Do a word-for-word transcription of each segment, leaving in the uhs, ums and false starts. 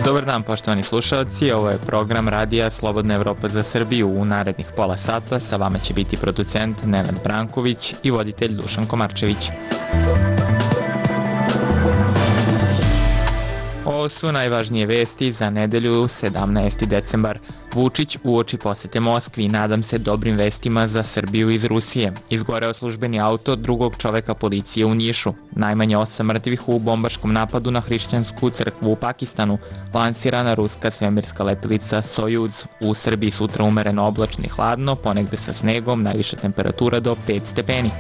Dobar dan, poštovani slušalci, ovo je program Radija Slobodna Evropa za Srbiju. U narednih pola sata sa vama će biti producent Nenad Branković i voditelj Dušan Komarčević. Ovo su najvažnije vesti za nedelju sedamnaesti decembar. Vučić uoči posete Moskvi, nadam se dobrim vestima za Srbiju iz Rusije. Izgoreo službeni auto drugog čoveka policije u Nišu. Najmanje osam mrtvih u bombaškom napadu na hrišćansku crkvu u Pakistanu. Lansirana ruska svemirska letelica Sojuz. U Srbiji sutra umereno oblačno i hladno, ponegde sa snegom, najviša temperatura do pet stepeni.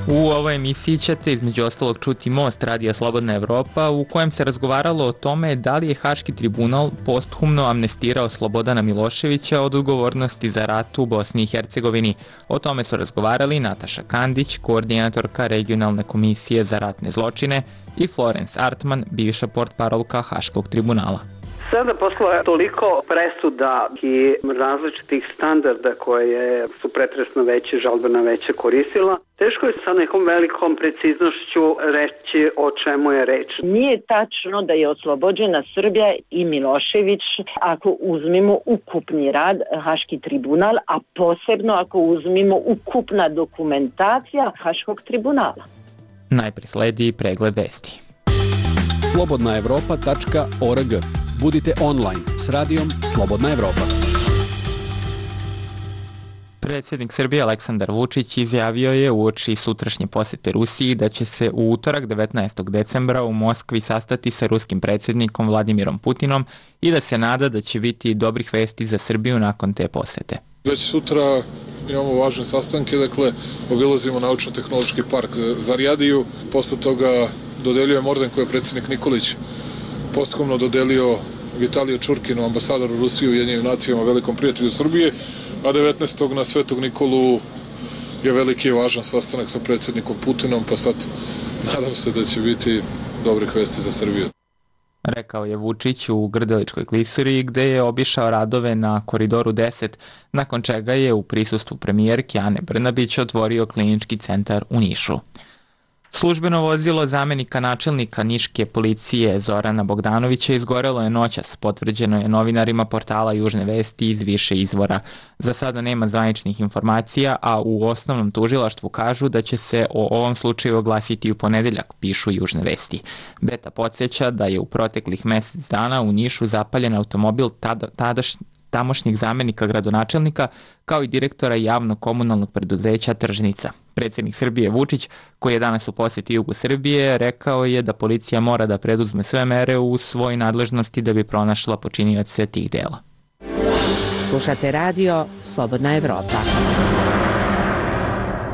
U ovoj emisiji ćete između ostalog čuti Most Radija Slobodna Evropa, u kojem se razgovaralo o tome da li je Haški tribunal posthumno amnestirao Slobodana Miloševića od odgovornosti za rat u Bosni i Hercegovini. O tome su razgovarali Nataša Kandić, koordinatorka Regionalne komisije za ratne zločine, i Florence Artman, bivša portparolka Haškog tribunala. Sada posle toliko presuda i različitih standarda koje su pretresno veće, žalbena veće koristila, teško je sa nekom velikom preciznošću reći o čemu je reč. Nije tačno da je oslobođena Srbija i Milošević ako uzmemo ukupni rad Haški tribunal, a posebno ako uzmemo ukupna dokumentacija Haškog tribunala. Najpre sledi pregled vesti. slobodna evropa tačka org. Budite online s radijom Slobodna Evropa. Predsjednik Srbije Aleksandar Vučić izjavio je uoči sutrašnje posete Rusiji da će se u utorak devetnaestog decembra u Moskvi sastati sa ruskim predsjednikom Vladimirom Putinom i da se nada da će biti dobrih vesti za Srbiju nakon te posete. Već sutra imamo važne sastanke, dakle obilazimo Naučno-tehnološki park Zarijadiju, posle toga dodeljujemo orden koji je predsjednik Nikolić posthumno dodelio Vitaliju Čurkinu, ambasadoru Rusije u Ujedinjenim nacijama, velikom prijatelju Srbije, a devetnaestog na Svetog Nikolu je veliki i važan sastanak sa predsjednikom Putinom, pa sad nadam se da će biti dobrih vesti za Srbiju. Rekao je Vučić u Grdeličkoj klisuri, gde je obišao radove na Koridoru deset, nakon čega je u prisustvu premijerke Ane Brnabić otvorio klinički centar u Nišu. Službeno vozilo zamenika načelnika niške policije Zorana Bogdanovića izgorelo je noćas, potvrđeno je novinarima portala Južne vesti iz više izvora. Za sada nema zvaničnih informacija, a u osnovnom tužilaštvu kažu da će se o ovom slučaju oglasiti u ponedeljak, pišu Južne vesti. Beta podsjeća da je u proteklih mesec dana u Nišu zapaljen automobil tada, tadaš, tamošnjeg zamenika gradonačelnika, kao i direktora javnog komunalnog preduzeća Tržnica. Predsjednik Srbije Vučić, koji je danas u posjeti jugu Srbije, rekao je da policija mora da preduzme sve mere u svojoj nadležnosti da bi pronašla počinioce tih dela. Slušate radio Slobodna Evropa.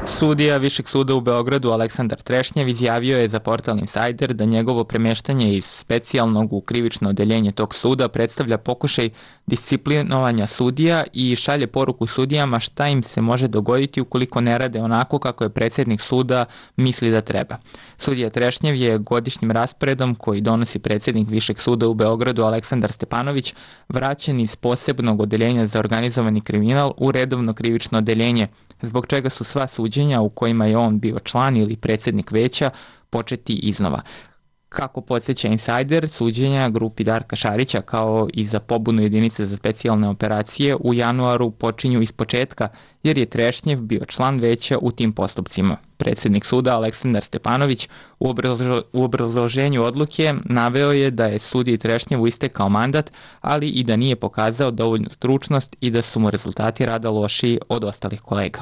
Sudija Višeg suda u Beogradu Aleksandar Trešnjev izjavio je za portal Insider da njegovo premještanje iz specijalnog u krivično odeljenje tog suda predstavlja pokušaj disciplinovanja sudija i šalje poruku sudijama šta im se može dogoditi ukoliko ne rade onako kako je predsjednik suda misli da treba. Sudija Trešnjev je godišnjim rasporedom koji donosi predsjednik Višeg suda u Beogradu Aleksandar Stepanović vraćen iz posebnog odeljenja za organizovani kriminal u redovno krivično odeljenje, zbog čega su sva suđenja u kojima je on bio član ili predsjednik veća početi iznova. Kako podsjeća Insider, suđenja grupi Darka Šarića kao i za pobunu jedinice za specijalne operacije u januaru počinju iz početka jer je Trešnjev bio član veća u tim postupcima. Predsjednik suda Aleksandar Stepanović u, obrazlo, u obrazloženju odluke naveo je da je sudiji Trešnjevu istekao mandat, ali i da nije pokazao dovoljnu stručnost i da su mu rezultati rada lošiji od ostalih kolega.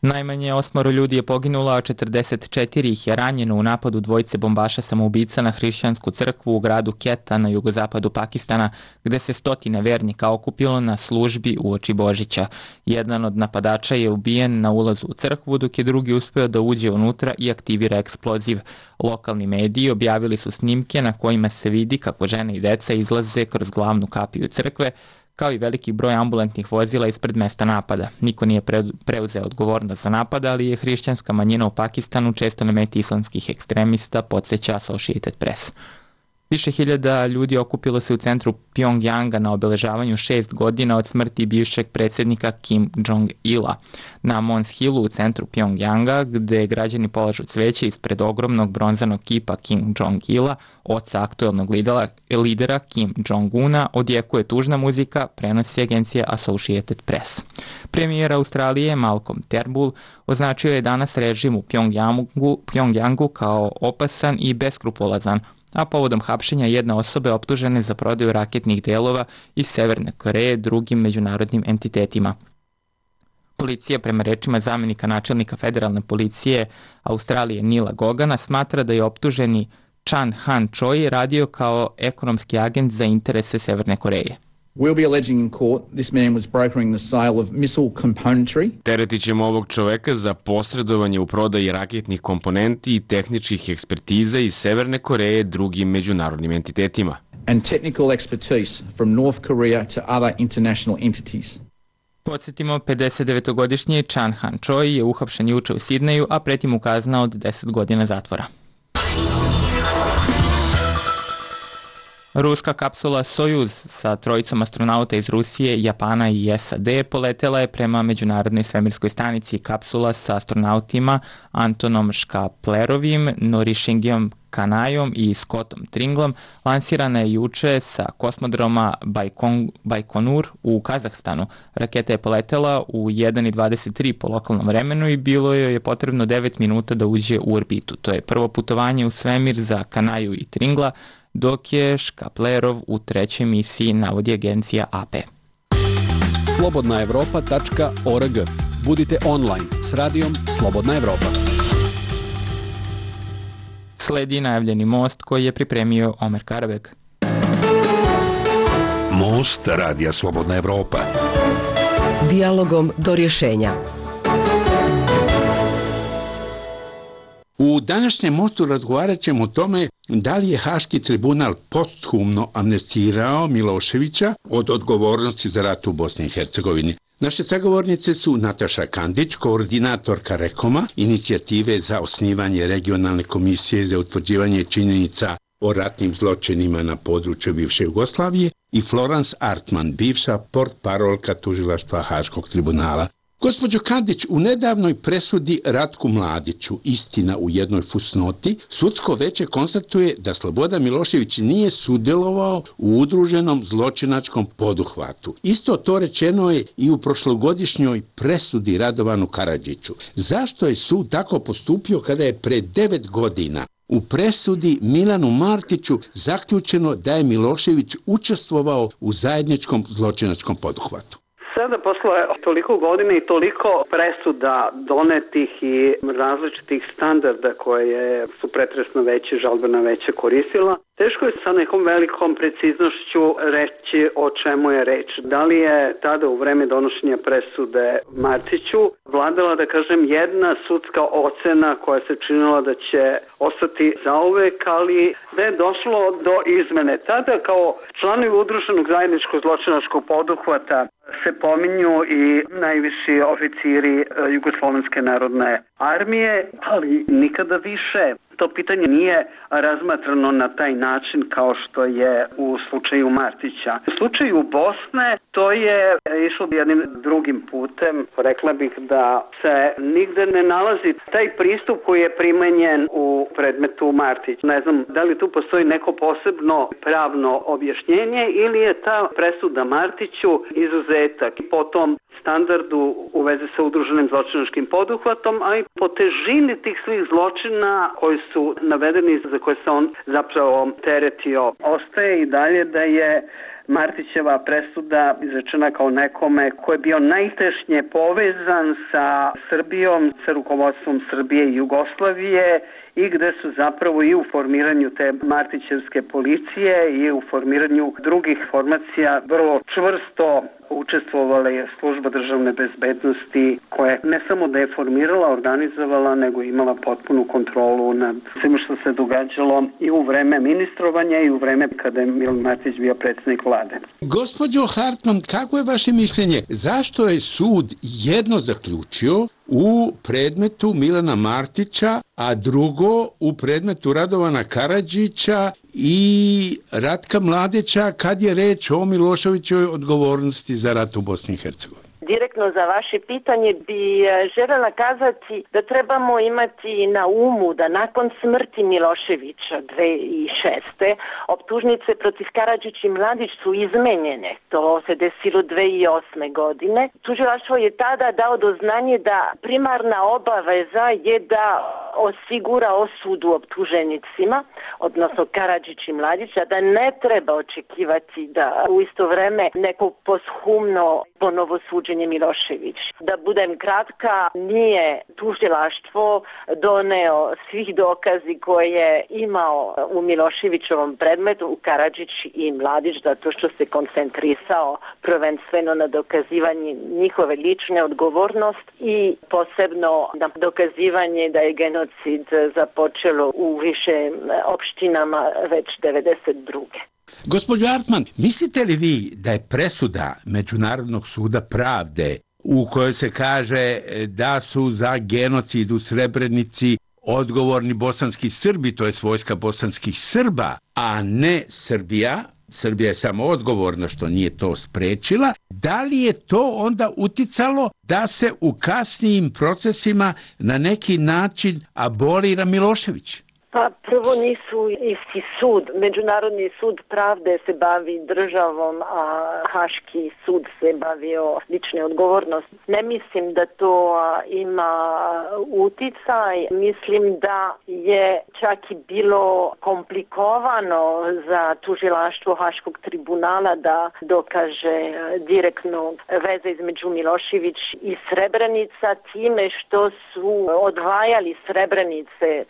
Najmanje osmoro ljudi je poginulo, a četrdeset četiri ih je ranjeno u napadu dvojice bombaša samoubica na hrišćansku crkvu u gradu Keta na jugozapadu Pakistana, gde se stotine vernika okupilo na službi uoči Božića. Jedan od napadača je ubijen na ulazu u crkvu, dok je drugi uspeo da uđe unutra i aktivira eksploziv. Lokalni mediji objavili su snimke na kojima se vidi kako žene i deca izlaze kroz glavnu kapiju crkve, kao i veliki broj ambulantnih vozila ispred mesta napada. Niko nije preuzeo odgovornost za napad, ali je hrišćanska manjina u Pakistanu često na meti islamskih ekstremista, podsjeća Associated Press. Više hiljada ljudi okupilo se u centru Pjongjanga na obeležavanju šest godina od smrti bivšeg predsjednika Kim Jong-ila. Na Mons Hillu u centru Pjongjanga, gde građani polažu cveće ispred ogromnog bronzanog kipa Kim Jong-ila, oca aktuelnog lidera, lidera Kim Jong-una, odjekuje tužna muzika, prenosi agencija Associated Press. Premijer Australije Malcolm Turnbull označio je danas režim u Pjongjangu, Pjongjangu kao opasan i beskrupulozan, a povodom hapšenja jedne osobe optužene za prodaju raketnih delova iz Severne Koreje drugim međunarodnim entitetima. Policija, prema rečima zamjenika načelnika federalne policije Australije Nila Gogana, smatra da je optuženi Chan Han Choi radio kao ekonomski agent za interese Severne Koreje. We'll be alleging in court this man was brokering the sale of missile componentry. Teretit ćemo ovog čoveka za posredovanje u prodaji raketnih komponenti i tehničkih ekspertiza iz Severne Koreje drugim međunarodnim entitetima. And technical expertise from North Korea to other international entities. Podsjetimo, pedesetdevetogodišnji Chan Han Choi je uhapšen juče u Sidneju, a preti mu kazna od deset godina zatvora. Ruska kapsula Sojuz sa trojicom astronauta iz Rusije, Japana i S A D poletela je prema međunarodnoj svemirskoj stanici. Kapsula sa astronautima Antonom Škaplerovim, Norishingyom Kanajom i Scottom Tringlom lansirana je juče sa kosmodroma Bajkon, Bajkonur u Kazahstanu. Raketa je poletela u jedan i dvadeset tri po lokalnom vremenu i bilo joj je potrebno devet minuta da uđe u orbitu. To je prvo putovanje u svemir za Kanaju i Tringla, dok je Škaplerov u trećoj misiji, navodi agencija A P. slobodna evropa tačka org. Budite online s radijom Slobodna Evropa. Sledi najavljeni most koji je pripremio Omer Karabek. Most radija Slobodna Evropa. Dijalogom do rješenja. U današnjem mostu razgovarat ćemo o tome da li je Haški tribunal posthumno amnestirao Miloševića od odgovornosti za rat u Bosni i Hercegovini. Naše sagovornice su Nataša Kandić, koordinatorka Rekoma, inicijative za osnivanje regionalne komisije za utvrđivanje činjenica o ratnim zločinima na području bivše Jugoslavije, i Florence Artman, bivša portparolka tužilaštva Haškog tribunala. Gospođo Kandić, u nedavnoj presudi Ratku Mladiću, Istina u jednoj fusnoti, sudsko veće konstatuje da Slobodan Milošević nije sudjelovao u udruženom zločinačkom poduhvatu. Isto to rečeno je i u prošlogodišnjoj presudi Radovanu Karadžiću. Zašto je sud tako postupio kada je pre devet godina u presudi Milanu Martiću zaključeno da je Milošević učestvovao u zajedničkom zločinačkom poduhvatu? Sada posle toliko godina i toliko presuda donetih i različitih standarda koje su pretresno veće, žalbena veće koristila, teško je sa nekom velikom preciznošću reći o čemu je reč. Da li je tada u vreme donošenja presude Martiću vladala, da kažem, jedna sudska ocena koja se činila da će ostati zauvek, ali da je došlo do izmene. Tada kao članovi udruženog zajedničkog zločinačkog poduhvata se pominju i najviši oficiri Jugoslovenske narodne armije, ali nikada više to pitanje nije razmatrano na taj način kao što je u slučaju Martića. U slučaju Bosne to je išlo jednim drugim putem. Rekla bih da se nigde ne nalazi taj pristup koji je primenjen u predmetu Martić. Ne znam da li tu postoji neko posebno pravno objašnjenje ili je ta presuda Martiću izuzetak i potom standardu u vezi sa udruženim zločinačkim poduhvatom, a i po težini tih svih zločina koji su navedeni, za koje se on zapravo teretio. Ostaje i dalje da je Martićeva presuda izrečena kao nekome ko je bio najtešnje povezan sa Srbijom, sa rukovodstvom Srbije i Jugoslavije, i gde su zapravo i u formiranju te Martićevske policije i u formiranju drugih formacija vrlo čvrsto učestvovala je služba državne bezbednosti, koja ne samo da je formirala, organizovala, nego imala potpunu kontrolu nad svim što se događalo i u vreme ministrovanja i u vreme kada je Milan Martić bio predsjednik vlade. Gospođo Hartman, kako je vaše mišljenje? Zašto je sud jedno zaključio, u predmetu Milana Martića, a drugo u predmetu Radovana Karadžića i Ratka Mladića kad je reč o Miloševićevoj odgovornosti za rat u Bosni i Hercegovini. Direktno za vaše pitanje bi željela kazati da trebamo imati na umu da nakon smrti Miloševića dve tisuće šeste. optužnice protiv Karadžić i Mladić su izmenjene. To se desilo dve tisuće osme. godine. Tužilaštvo je tada dao do znanje da primarna obaveza je da osigura osudu optuženicima, odnosno Karadžić i Mladić, a da ne treba očekivati da u isto vreme neko poshumno ponovo suđenje Milošević. Da budem kratka, nije tužilaštvo doneo svih dokazi koje je imao u Miloševićovom predmetu u Karadžić i Mladić, zato što se koncentrisao prvenstveno na dokazivanje njihove lične odgovornost i posebno na dokazivanje da je genocid započelo u više opštinama već devedeset druge. Gospođo Artman, mislite li vi da je presuda Međunarodnog suda pravde u kojoj se kaže da su za genocid u Srebrenici odgovorni bosanski Srbi, to je vojska bosanskih Srba, a ne Srbija, Srbija je samo odgovorna što nije to sprečila, da li je to onda uticalo da se u kasnijim procesima na neki način abolira Milošević? Pa prvo nisu isti sud. Međunarodni sud pravde se bavi državom, a Haški sud se bavio lične odgovornosti. Ne mislim da to ima uticaj. Mislim da je čak i bilo komplikovano za tužilaštvo Haškog tribunala da dokaže direktno veze između Milošević i Srebrenica time što su odvajali Srebrenice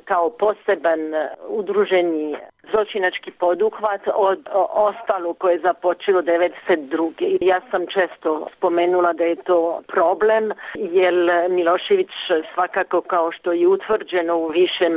kao poseban udruženi zločinački poduhvat od ostalo koje je započelo devedeset druge. Ja sam često spomenula da je to problem, jer Milošević svakako, kao što je utvrđeno u višem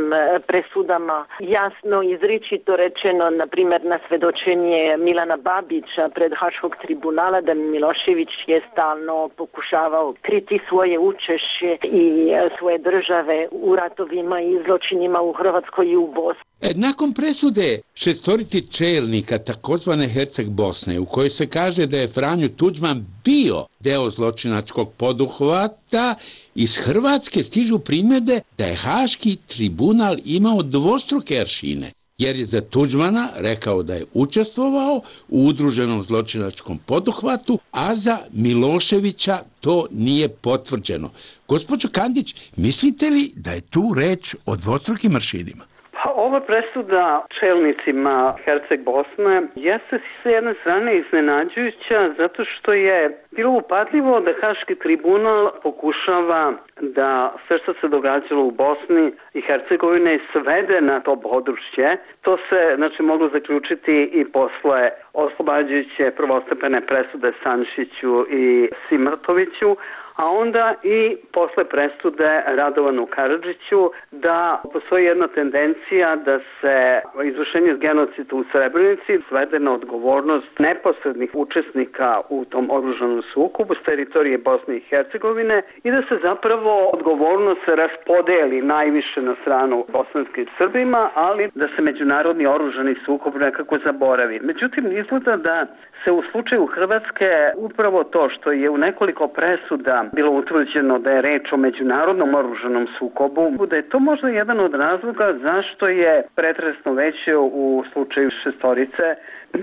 presudama, jasno izričito rečeno, na primjer na svedočenje Milana Babića pred Haškog tribunala, da Milošević je stalno pokušavao kriti svoje učešće i svoje države u ratovima i zločinima u Hrvatskoj i u Bosni. E, nakon presude šestoriti čelnika takozvane Herceg Bosne, u kojoj se kaže da je Franjo Tuđman bio deo zločinačkog poduhvata, iz Hrvatske stižu primjedbe da je Haški tribunal imao dvostruke aršine, jer je za Tuđmana rekao da je učestvovao u udruženom zločinačkom poduhvatu, a za Miloševića to nije potvrđeno. Gospođo Kandić, mislite li da je tu reč o dvostrukim aršinima? Pa ova presuda čelnicima Herceg Bosne jeste s jedne strane iznenađujuća zato što je bilo upadljivo da Haški tribunal pokušava da sve što se događalo u Bosni i Hercegovini svede na to područje. To se znači moglo zaključiti i posle oslobađajuće prvostepene presude Stanišiću i Simrtoviću, a onda i posle presude Radovanu Karadžiću da postoji jedna tendencija da se izvršenje genocida u Srebrenici svede na odgovornost neposrednih učesnika u tom oružanom sukobu s teritorije Bosne i Hercegovine i da se zapravo odgovornost raspodeli najviše na stranu bosanskim Srbima, ali da se međunarodni oružani sukob nekako zaboravi. Međutim, izgleda da se u slučaju Hrvatske upravo to što je u nekoliko presuda bilo utvrđeno da je reč o međunarodnom oružanom sukobu, da je to možda jedan od razloga zašto je pretresno veće u slučaju šestorice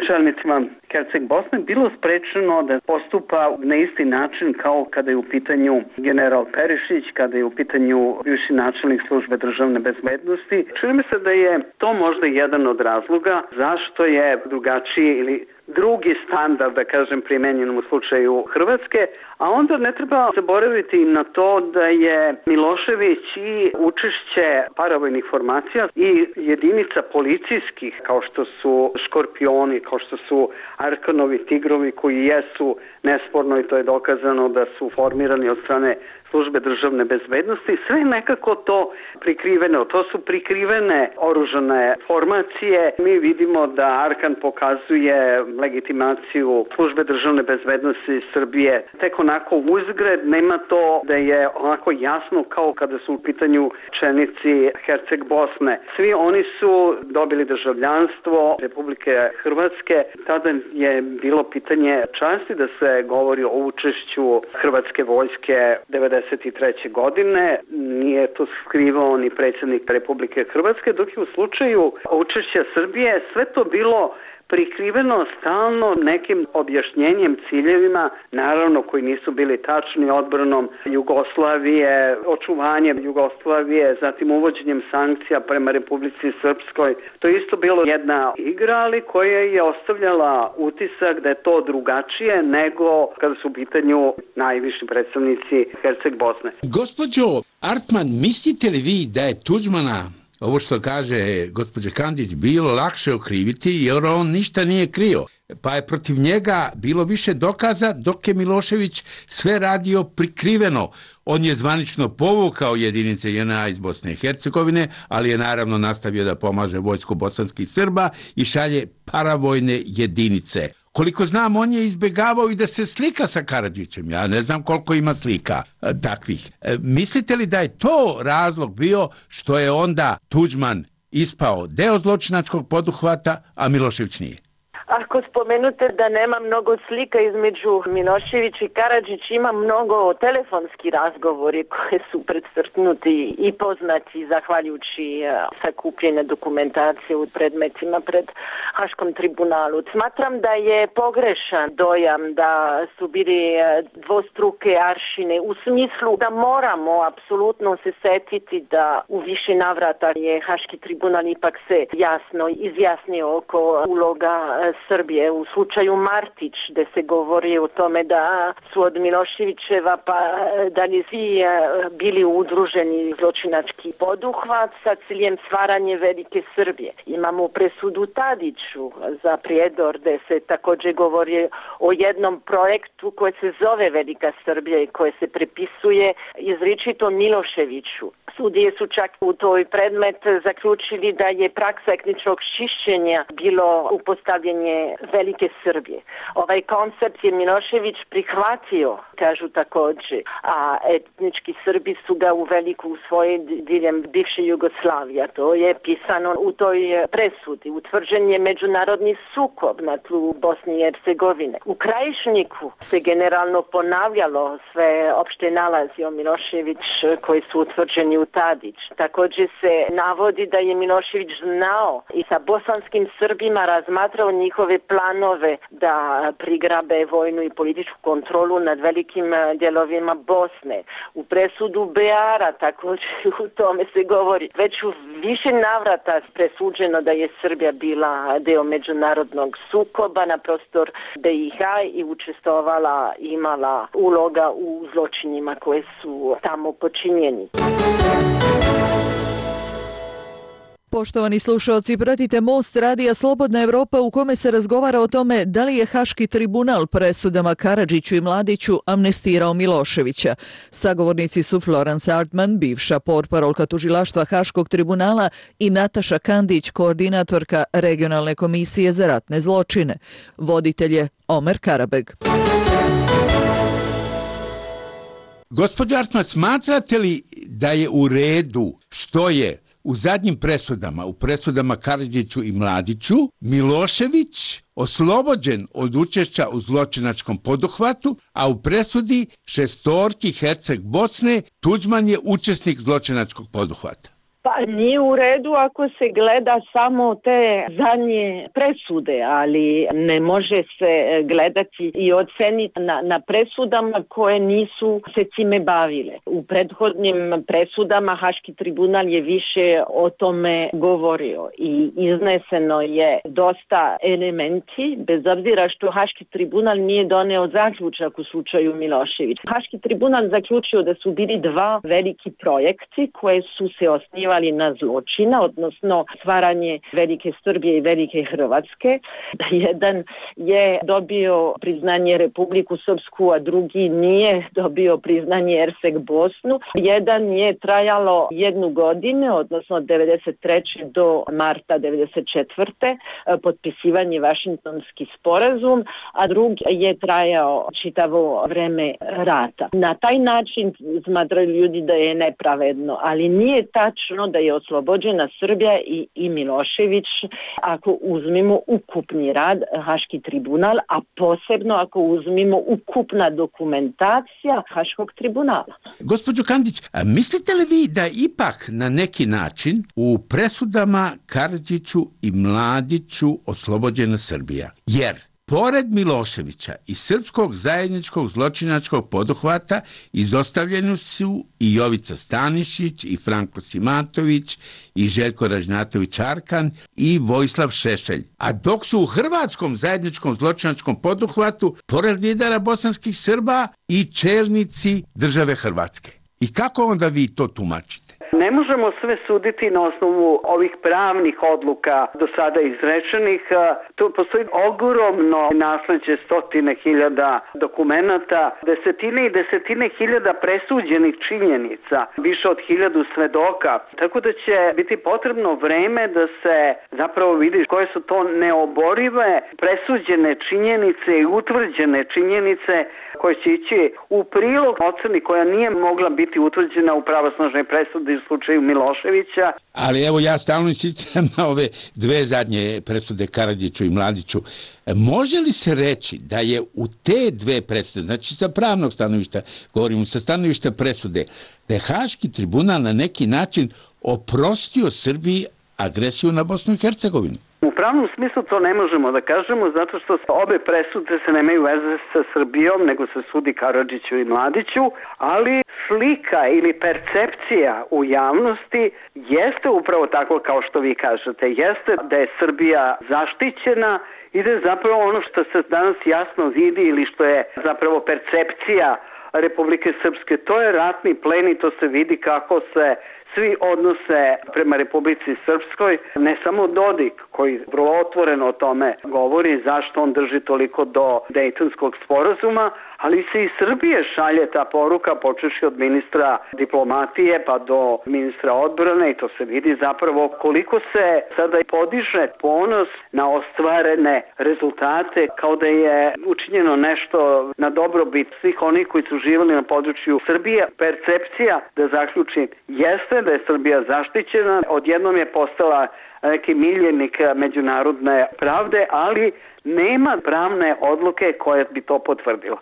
čelnicima Herceg Bosne bilo sprečeno da postupa na isti način kao kada je u pitanju general Perišić, kada je u pitanju bivši načelnik službe državne bezbednosti. Čini mi se da je to možda jedan od razloga zašto je drugačiji ili drugi standard, da kažem, primenjen u slučaju Hrvatske, a onda ne treba zaboraviti na to da je Milošević i učešće paravojnih formacija i jedinica policijskih, kao što su Škorpioni, kao što su Arkanovi tigrovi, koji jesu nesporno, i to je dokazano da su formirani od strane službe državne bezbednosti, sve nekako to prikriveno. To su prikrivene oružane formacije. Mi vidimo da Arkan pokazuje legitimaciju službe državne bezbednosti Srbije tek onako uzgred, nema to da je onako jasno kao kada su u pitanju čelnici Herceg Bosne. Svi oni su dobili državljanstvo Republike Hrvatske. Tada je bilo pitanje časti da se govori o učešću hrvatske vojske devedeset treće godine. Nije to skrivao ni predsjednik Republike Hrvatske, dok je u slučaju učešća Srbije sve to bilo prikriveno stalno nekim objašnjenjem, ciljevima, naravno koji nisu bili tačni, odbranom Jugoslavije, očuvanjem Jugoslavije, zatim uvođenjem sankcija prema Republici Srpskoj. To je isto bilo jedna igra, ali koja je ostavljala utisak da je to drugačije nego kada su u pitanju najviši predstavnici Herceg Bosne. Gospođo Artman, mislite li vi da je Tuđmana, ovo što kaže gospođa Kandić, bilo lakše okriviti jer on ništa nije krio, pa je protiv njega bilo više dokaza dok je Milošević sve radio prikriveno. On je zvanično povukao jedinice J N A iz Bosne i Hercegovine, ali je naravno nastavio da pomaže vojsku bosanskih Srba i šalje paravojne jedinice. Koliko znam, on je izbjegavao i da se slika sa Karadžićem. Ja ne znam koliko ima slika e, takvih. E, mislite li da je to razlog bio što je onda Tuđman ispao deo zločinačkog poduhvata, a Milošević nije? Ako spomenute da nema mnogo slika između Milošević i Karadžić, ima mnogo telefonski razgovori koji su predstrtnuti i poznati zahvaljujući sakupljene dokumentacije u predmetima pred Haškom tribunalu. Smatram da je pogrešan dojam da su bili dvostruke aršine u smislu da moramo apsolutno se setiti da u više navrata je Haški tribunal ipak se jasno izjasnio oko uloga Srbije. U slučaju Martić, gde se govori o tome da su od Miloševićeva pa da li svi bili udruženi zločinački poduhvat sa ciljem stvaranje velike Srbije. Imamo presudu Tadiću za Prijedor, gde se također govori o jednom projektu koji se zove Velika Srbija i koje se prepisuje izričito Miloševiću. Sudije su čak u toj predmet zaključili da je praksa etničkog čišćenja bilo upostavljanje Velike Srbije. Ovaj koncept je Milošević prihvatio, kažu također, a etnički Srbi su ga u veliku usvojili diljem bivše Jugoslavije. To je pisano u toj presudi. Utvrđen je međunarodni sukob na tlu Bosne i Hercegovine. U Krajišniku se generalno ponavljalo sve opšte nalazi o Milošević koji su utvrđeni u Tadić. Također se navodi da je Milošević znao i sa bosanskim Srbima razmatrao njihove planove da prigrabe vojnu i političku kontrolu nad velikim dijelovima Bosne. U presudu Beara također u tome se govori. Već u više navrata presuđeno da je Srbija bila deo međunarodnog sukoba na prostor B i H i učestvovala, imala uloga u zločinima koje su tamo počinjeni. Poštovani slušalci, pratite Most radija Slobodna Evropa u kome se razgovara o tome da li je Haški tribunal presudama Karadžiću i Mladiću amnestirao Miloševića. Sagovornici su Florence Artman, bivša portparolka tužilaštva Haškog tribunala, i Nataša Kandić, koordinatorka Regionalne komisije za ratne zločine. Voditelj je Omer Karabeg. Gospođo Artman, smatrate li da je u redu što je u zadnjim presudama, u presudama Karadžiću i Mladiću, Milošević oslobođen od učešća u zločinačkom poduhvatu, a u presudi šestorki Herceg Bosne Tuđman je učesnik zločinačkog poduhvata? Pa nije u redu ako se gleda samo te zadnje presude, ali ne može se gledati i oceniti na, na presudama koje nisu se time bavile. U prethodnim presudama Haški tribunal je više o tome govorio i izneseno je dosta elementi, bez obzira što Haški tribunal nije doneo zaključak u slučaju Milošević. Haški tribunal zaključio da su bili dva veliki projekti koje su se osnivali pozivali na zločina, odnosno stvaranje velike Srbije i velike Hrvatske. Jedan je dobio priznanje Republiku Srpsku, a drugi nije dobio priznanje Ersek Bosnu. Jedan je trajalo jednu godinu, odnosno od devedeset treće do marta devedeset četvrte potpisivanje Vašingtonski sporazum, a drugi je trajao čitavo vreme rata. Na taj način smatraju ljudi da je nepravedno, ali nije tačno da je oslobođena Srbija i, i Milošević ako uzmemo ukupni rad Haški tribunal, a posebno ako uzmemo ukupna dokumentacija Haškog tribunala. Gospođo Kandić, a mislite li vi da ipak na neki način u presudama Karadžiću i Mladiću oslobođena Srbija? Jer pored Miloševića i srpskog zajedničkog zločinačkog poduhvata izostavljeni su i Jovica Stanišić, i Franko Simatović, i Željko Ražnjatović-Arkan, i Vojislav Šešelj. A dok su u hrvatskom zajedničkom zločinačkom poduhvatu pored lidera bosanskih Srba i čelnici države Hrvatske. I kako onda vi to tumačite? Ne možemo sve suditi na osnovu ovih pravnih odluka do sada izrečenih. Tu postoji ogromno nasleđe stotine hiljada dokumenata, desetine i desetine hiljada presuđenih činjenica, više od hiljadu svedoka. Tako da će biti potrebno vreme da se zapravo vidi koje su to neoborive presuđene činjenice i utvrđene činjenice koje će ići u prilog oceni koja nije mogla biti utvrđena u pravosnažnoj presudi u slučaju Miloševića. Ali evo ja stalno insistiram na ove dve zadnje presude Karadžiću i Mladiću. Može li se reći da je u te dve presude, znači sa pravnog stanovišta, govorimo sa stanovišta presude, da je Haški tribunal na neki način oprostio Srbiji agresiju na Bosnu i Hercegovinu? U pravnom smislu to ne možemo da kažemo zato što obe presude se nemaju veze sa Srbijom, nego se sudi Karadžiću i Mladiću, ali slika ili percepcija u javnosti jeste upravo tako kao što vi kažete. Jeste da je Srbija zaštićena i da je zapravo ono što se danas jasno vidi ili što je zapravo percepcija Republike Srpske, to je ratni plen i to se vidi kako se svi odnose prema Republici Srpskoj, ne samo Dodik koji vrlo otvoreno o tome govori zašto on drži toliko do Dejtonskog sporazuma, ali se i Srbije šalje ta poruka počevši od ministra diplomatije pa do ministra odbrane i to se vidi zapravo koliko se sada podiže ponos na ostvarene rezultate kao da je učinjeno nešto na dobrobit svih onih koji su živjeli na području Srbije. Percepcija, da zaključim, jeste da je Srbija zaštićena, odjednom je postala neki miljenik međunarodne pravde, ali nema pravne odluke koja bi to potvrdila.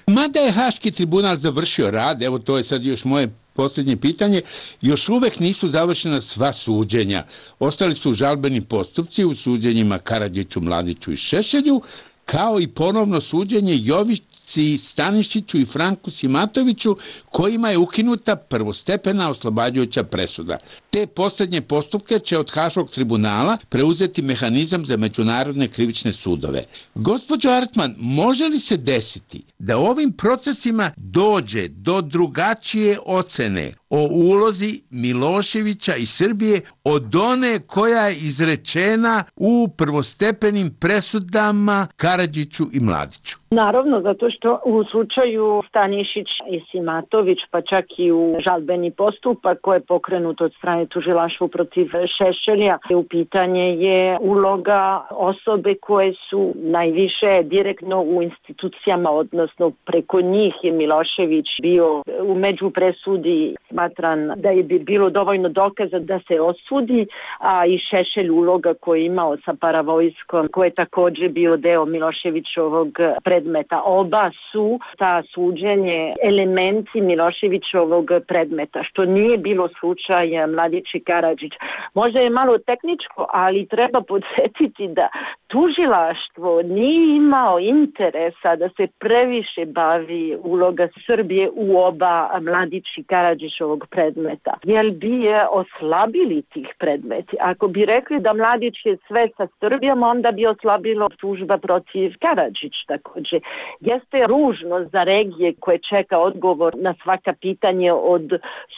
Mada je Haški tribunal završio rad, evo to je sad još moje posljednje pitanje, još uvek nisu završena sva suđenja. Ostali su žalbeni postupci u suđenjima Karadžiću, Mladiću i Šešelju, kao i ponovno suđenje Jovici Stanišiću i Franku Simatoviću, kojima je ukinuta prvostepena oslobađajuća presuda. Te posljednje postupke će od Haškog tribunala preuzeti mehanizam za međunarodne krivične sudove. Gospođo Artman, može li se desiti da ovim procesima dođe do drugačije ocene o ulozi Miloševića i Srbije od one koja je izrečena u prvostepenim presudama Karadžiću i Mladiću? Naravno, zato što u slučaju Stanišić i Simatović, pa čak i u žalbeni postupak koji je pokrenut od strane tužilaštva protiv Šešelja, u pitanje je uloga osobe koje su najviše direktno u institucijama, odnosno preko njih je Milošević bio u međupresudi smatran da je bilo dovoljno dokaza da se osudi, a i Šešelj uloga koju je imao sa paravojskom, koji je također bio deo Miloševićovog predmeta. Oba su ta suđenje elementi Miloševićovog predmeta, što nije bilo slučaj Mladić i Karadžić. Možda je malo tehničko, ali treba podsjetiti da tužilaštvo nije imao interesa da se previše bavi uloga Srbije u oba Mladić i Karadžićovog predmeta, jer bi je oslabili tih predmeti. Ako bi rekli da Mladić je sve sa Srbijom, onda bi oslabilo tužba protiv Karadžić također. kaže. Jeste ružno za regije koje čeka odgovor na svaka pitanje od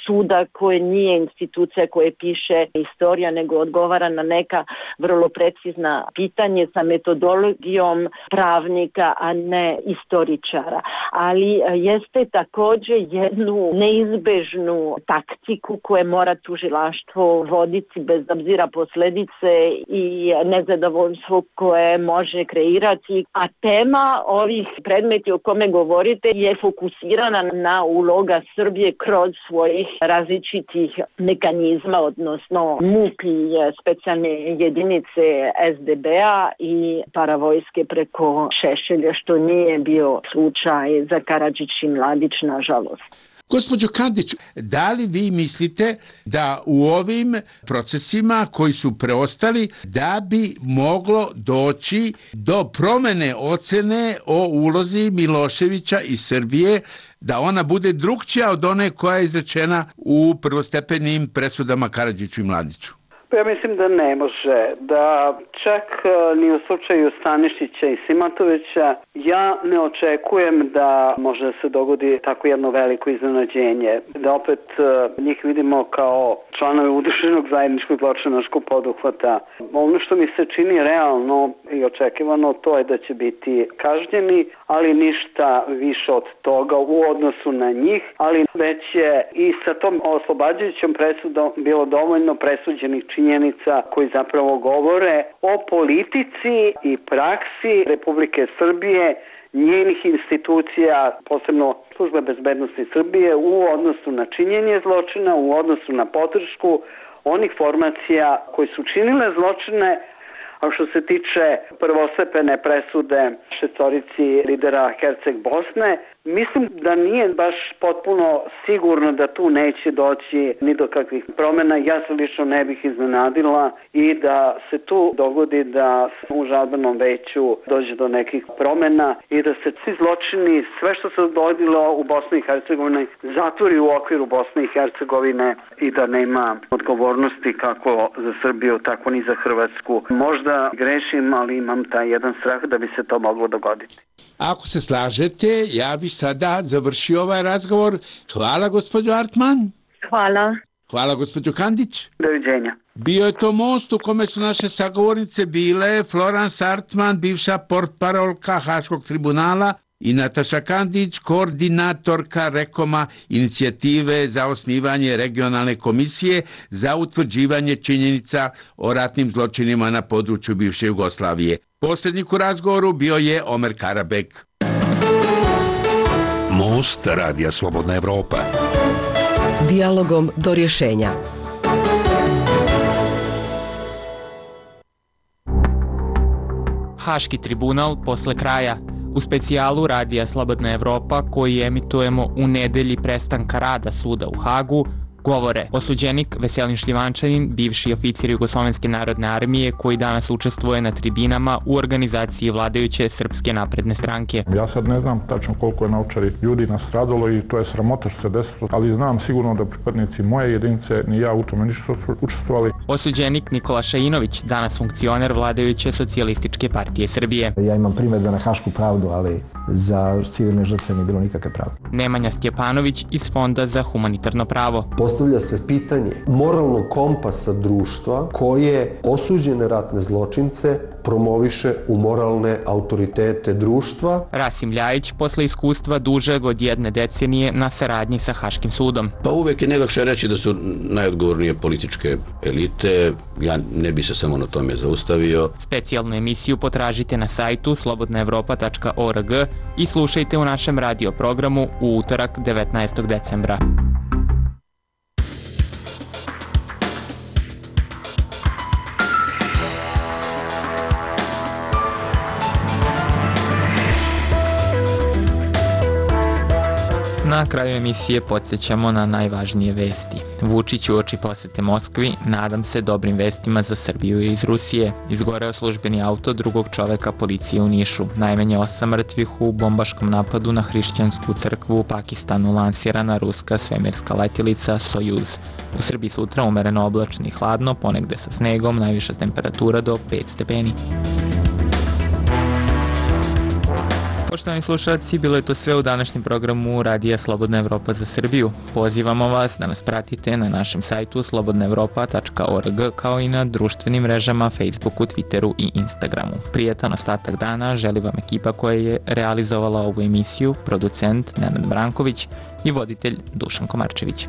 suda koje nije institucija koje piše istorija, nego odgovara na neka vrlo precizna pitanje sa metodologijom pravnika, a ne istoričara. Ali jeste također jednu neizbežnu taktiku koje mora tužilaštvo voditi bez obzira posljedice i nezadovoljstvo koje može kreirati. A tema ovih predmeti o kome govorite je fokusirana na uloga Srbije kroz svojih različitih mekanizma, odnosno M U P i specijalne jedinice S D B-a i paravojske preko Šešelja, što nije bio slučaj za Karadžić i Mladić, nažalost. Gospođo Kandić, da li vi mislite da u ovim procesima koji su preostali da bi moglo doći do promene ocene o ulozi Miloševića i Srbije, da ona bude drukčija od one koja je izrečena u prvostepenim presudama Karadžiću i Mladiću? Ja mislim da ne može, da čak ni u slučaju Stanišića i Simatovića ja ne očekujem da može da se dogodi tako jedno veliko iznenađenje, da opet njih vidimo kao članovi udruženog zajedničkog zločinačkog poduhvata. Ono što mi se čini realno i očekivano, to je da će biti kažnjeni, ali ništa više od toga u odnosu na njih, ali već je i sa tom oslobađajućom presudom bilo dovoljno presuđenih činjenica koji zapravo govore o politici i praksi Republike Srbije, njenih institucija, posebno Službe bezbednosti Srbije, u odnosu na činjenje zločina, u odnosu na podršku onih formacija koji su činile zločine. A što se tiče prvostepene presude šestorici lidera Herceg Bosne, mislim da nije baš potpuno sigurno da tu neće doći ni do kakvih promjena. Ja se lično ne bih iznenadila i da se tu dogodi da u žalbenom veću dođe do nekih promjena i da se svi zločini, sve što se dogodilo u Bosni i Hercegovini, zatvori u okviru Bosne i Hercegovine i da nema odgovornosti kako za Srbiju, tako ni za Hrvatsku. Možda grešim, ali imam taj jedan strah da bi se to moglo dogoditi. Ako se slažete, ja bih sada završio ovaj razgovor. Hvala, gospođo Artman. Hvala. Hvala, gospođo Kandić. Doviđenja. Bio je to most u kome su naše sagovornice bile Florence Artman, bivša portparolka Haškog tribunala, i Nataša Kandić, koordinatorka Rekoma, inicijative za osnivanje regionalne komisije za utvrđivanje činjenica o ratnim zločinima na području bivše Jugoslavije. Posrednik u razgovoru bio je Omer Karabek. Most Radija Slobodna Evropa. Dijalogom do rješenja. Haški tribunal posle kraja. U specijalu Radija Slobodna Evropa, koji emitujemo u nedelji prestanka rada suda u Hagu, govore osuđenik Veselin Šljivančanin, bivši oficir Jugoslovenske narodne armije koji danas učestvuje na tribinama u organizaciji vladajuće Srpske napredne stranke. Ja sad ne znam tačno koliko je na Ovčari ljudi nastradalo i to je sramota što se desilo, ali znam sigurno da pripadnici moje jedinice ni ja u tome nisu učestvovali. Osuđenik Nikola Šainović, danas funkcioner vladajuće Socijalističke partije Srbije. Ja imam primjedbe na hašku pravdu, ali za civilne žrtve nije bilo nikakve pravde. Nemanja Stjepanović iz Fonda za humanitarno pravo. Postavlja se pitanje moralnog kompasa društva koje osuđene ratne zločince promoviše u moralne autoritete društva. Rasim Ljajić, posle iskustva dužeg od jedne decenije na saradnji sa Haškim sudom. Pa uvek je najlakše reći da su najodgovornije političke elite. Ja ne bi se samo na tome zaustavio. Specijalnu emisiju potražite na sajtu slobodna evropa tačka org i slušajte u našem radio programu u utorak devetnaestog decembra. Na kraju emisije podsjećamo na najvažnije vesti. Vučić uoči posete Moskvi, nadam se dobrim vestima za Srbiju i iz Rusije. Izgoreo službeni auto drugog čoveka policije u Nišu. Najmanje osam mrtvih u bombaškom napadu na hrišćansku crkvu u Pakistanu, lansirana ruska svemirska letjelica Sojuz. U Srbiji sutra umereno oblačno i hladno, ponegde sa snegom, najviša temperatura do pet stepeni. Poštovani slušalci, bilo je to sve u današnjem programu Radija Slobodna Evropa za Srbiju. Pozivamo vas da nas pratite na našem sajtu slobodna evropa tačka org kao i na društvenim mrežama Facebooku, Twitteru i Instagramu. Prijetan ostatak dana želi vam ekipa koja je realizovala ovu emisiju, producent Nenad Branković i voditelj Dušan Komarčević.